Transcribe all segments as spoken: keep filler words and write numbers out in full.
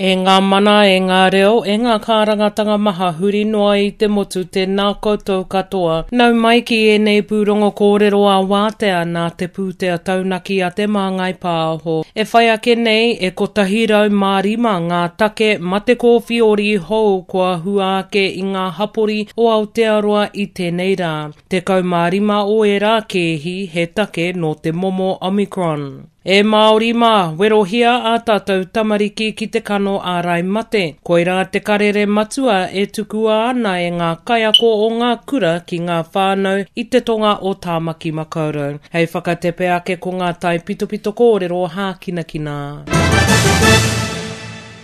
E ngā mana, e ngā reo, e ngā kārangatanga maha huri noa i te motu tēnā koutou katoa. Nau mai ki ēnei pūrongo kōrero a wātea nā te pūtea taunaki a Te Māngai Pāho. E whai ake nei, e kotahi rau mā rima ngā take mate kōwhiori hou kua hua ake i ngā hapori o Aotearoa i tēnei rā. Tekau mā rima o ērā kēhi he take nō te momo Omicron. E Māori mā, werohia ā tātou tamariki ki te kano ārai mate. Koirā te karere matua e tukua ana e ngā kaiako o ngā kura ki ngā whānau i te tonga o Tāmaki Makaurau. Hei whakatepe ake ko ngā taipitopito kōrero hākinakina.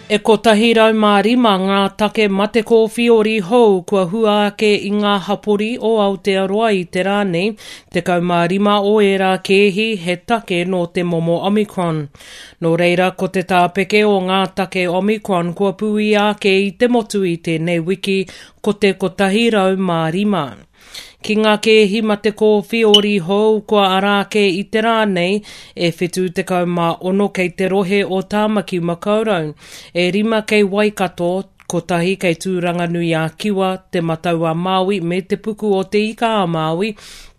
E kotahi rau mā rima ngā take mate kōwhiori hou kua hua ake i ngā hapori o Aotearoa i te rā nei, tekau mā rima o ērā kēhi he take nō te momo Omicron. Nō reira, ko te tāpeke o ngā take Omicron kua pūia ake i te motu i tēnei wiki, ko te kotahi rau mā rima. Ki ngā kēhi mate kōwhiori hou kua ara ake i te rā nei, e whitu tekau mā ono kei te rohe o Tāmaki Makaurau, e rima kei Waikato, kotahi kei Tūranganui-a-Kiwa, Te Matau-a-Māui me Te Puku o Te Ika-a-Māui,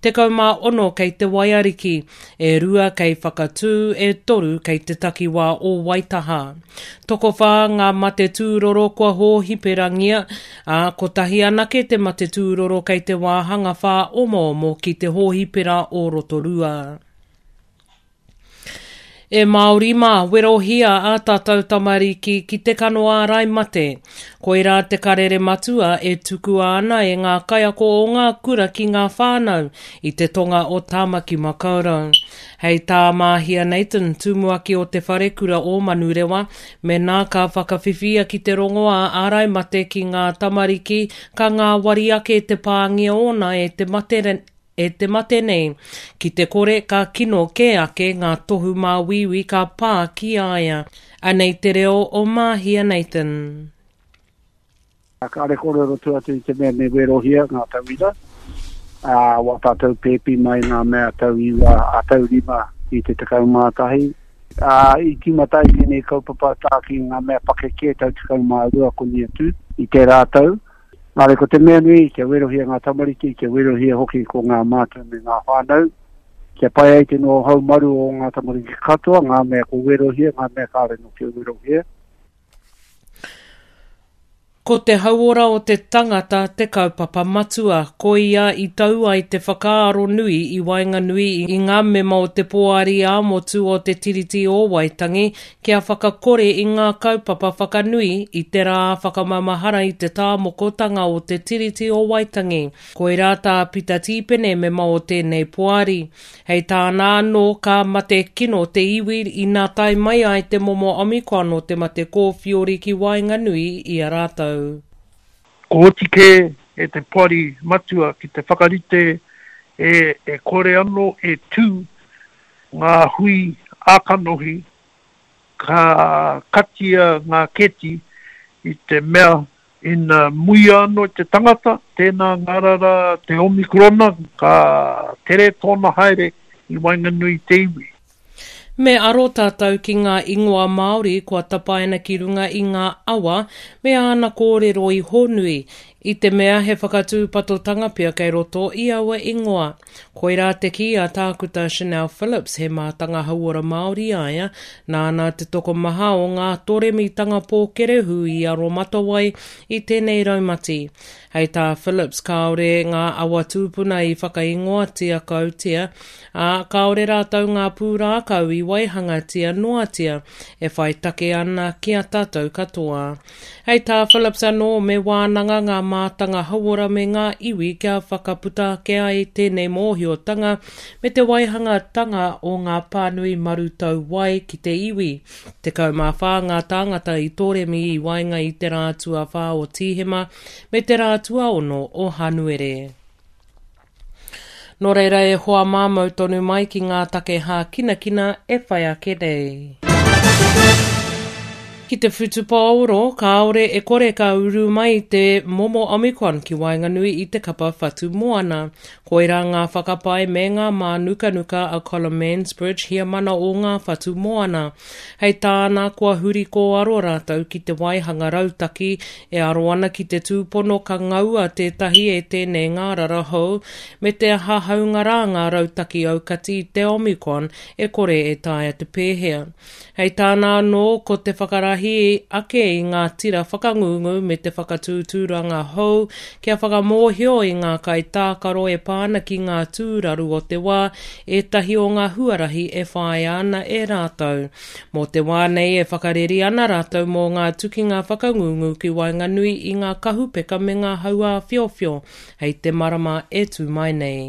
tekau mā ono kei Te Waiariki, e rua kei Whakatū, e toru kei te takiwā o Waitaha. Tokowhā ngā mate tūroro kua hōhiperangia, ā, kotahi anake te mate tūroro kei te wāhanga whāomoomo ki te hōhipera o Rotorua. E Māori mā, werohia ā tātou tamariki ki te kano ārai mate. Koirā te karere matua e tukua ana e ngā kaiako o ngā kura ki ngā whānau i te tonga o Tāmaki Makaurau. Hei tā Māhia Nathan, tumuaki o Te Wharekura o Manurewa, mēnā ka whakawhiwhia ki te rongoā ārai mate ki ngā tamariki ka ngāwari ake te pāngia ōna e te mate e te mate nei, ki te kore ka kino kē ake ngā tohu māuiui ka pā ki a ia. Anei te reo o Māhia Nathan. Kāre kōrero atu atu i te mea me werohia ngā tauira, ā, wā tātou pēpi mai ngā mea tau iwa, a tau rima i te tekau mā tahi. Ā, i tīmata ai tēnei kaupapa tā ki ngā mea pakeke tau tekau mā rua koni atu i tērā tau. Nā reira, ko te mea nui, kia werohia ngā tamariki, kia werohia hoki ko ngā mātua me ngā whānau, kia pai ai te noho haumaru o ngā tamariki katoa, ngā mea ko werohia, ngā mea kāore nō kia werohia. Ko te hauora o te tangata te kaupapa matua, koia i tau ai te whakaaro nui i waenganui i ngā mema o te Poari ā-Motu o Te Tiriti o Waitangi kia whakakore i ngā kaupapa whakanui i te rā whakamaumahara i te tāmokotanga o Te Tiriti o Waitangi. Koirā tā Pita Tīpene mema o tēnei poari. Hei tāna anō, ka mate kino te iwi ina tae mai ai te momo Omicron o te mate kōwhiori ki waenganui i a rātou. Ko oti kē e te Poari Matua ki te whakarite e e kore anō e tū ngā hui ā-kanohi ka katia ngā kēti i te mea ina muia anō te tangata, tēnā ngārara te Omikorona, ka tere tōna haere i waenganui i te iwi. Me aro tātou ki ngā ingoa Māori kua tapaina ki runga i ngā awa me āna kōrero i Hōnui, i te mea he whakatūpatotanga pea kei roto i aua ingoa. Koirā te kī a Tākuta Chanel Phillips, he mātanga hauora Māori a ia, nāna te tokomaha o ngā toremitanga pōkerehū i aromatawai i tēnei raumati. Hei tā Phillips, kāore ngā awa tūpuna i whakaingoatia kautia, ā, kāore rātou ngā pūrākau i waihangatia noatia e whai take ana ki a tātou katoa. Hei tā Phillips anō, me wānanga ngā mātanga hauora me ngā iwi kia whakaputa ake ai tēnei mōhiotanga me te waihangatanga o ngā pānui marutau wai ki te iwi. Tekau mā whā ngā tāngata i toremi i waenga i te rā tuawhā o Tīhema me te rā tuaono o Hānuere. Nō reira e hoa mā mau tonu mai ki ngā take hākinakina e whai ake nei. Ki te whutupaoro, kāore e kore ka uru mai te momo Omicron ki waenganui i te kapa whatu moana. Koirā ngā whakapae me ngā mānukanuka a Colin Mansbridge heamana o ngā whatu moana. Hei tāna kua huri kōaro rātou ki te waihanga rautaki e aro ana ki te tūpono ka ngaua tētahi e tēnei ngārara hou me te aha haunga rā ngā rautaki aukati i te Omicron e kore e taea te pēhea. Hei tāna anō ko te whakarahi ake i ngā tira whakangungu me te whakatūtūranga hou kia whakamōhio i ngā kaitākaro e pā ana ki ngā tūraru o te wā ētahi o ngā huarahi e whāia ana e rātou. Mō te wā nei e whakareri ana rātou mō ngā tukinga whakangungu ki waenganui i ngā kahupeka me ngā hauāwhiowhio hei te marama e tū mai nei.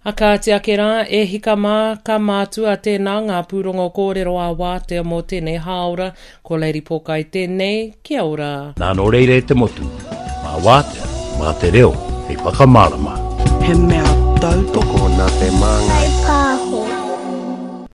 A kāti ake rā, e hika mā, ka mātua tēnā ngā pūrongo kōrero a wātea mō tēnei hāora, ko Lady Pōkai tēnei, kia ora. Nā nō reira e te motu, mā wātea, mā te reo, hei whakamārama. He mea tautoko Tokona te māngai.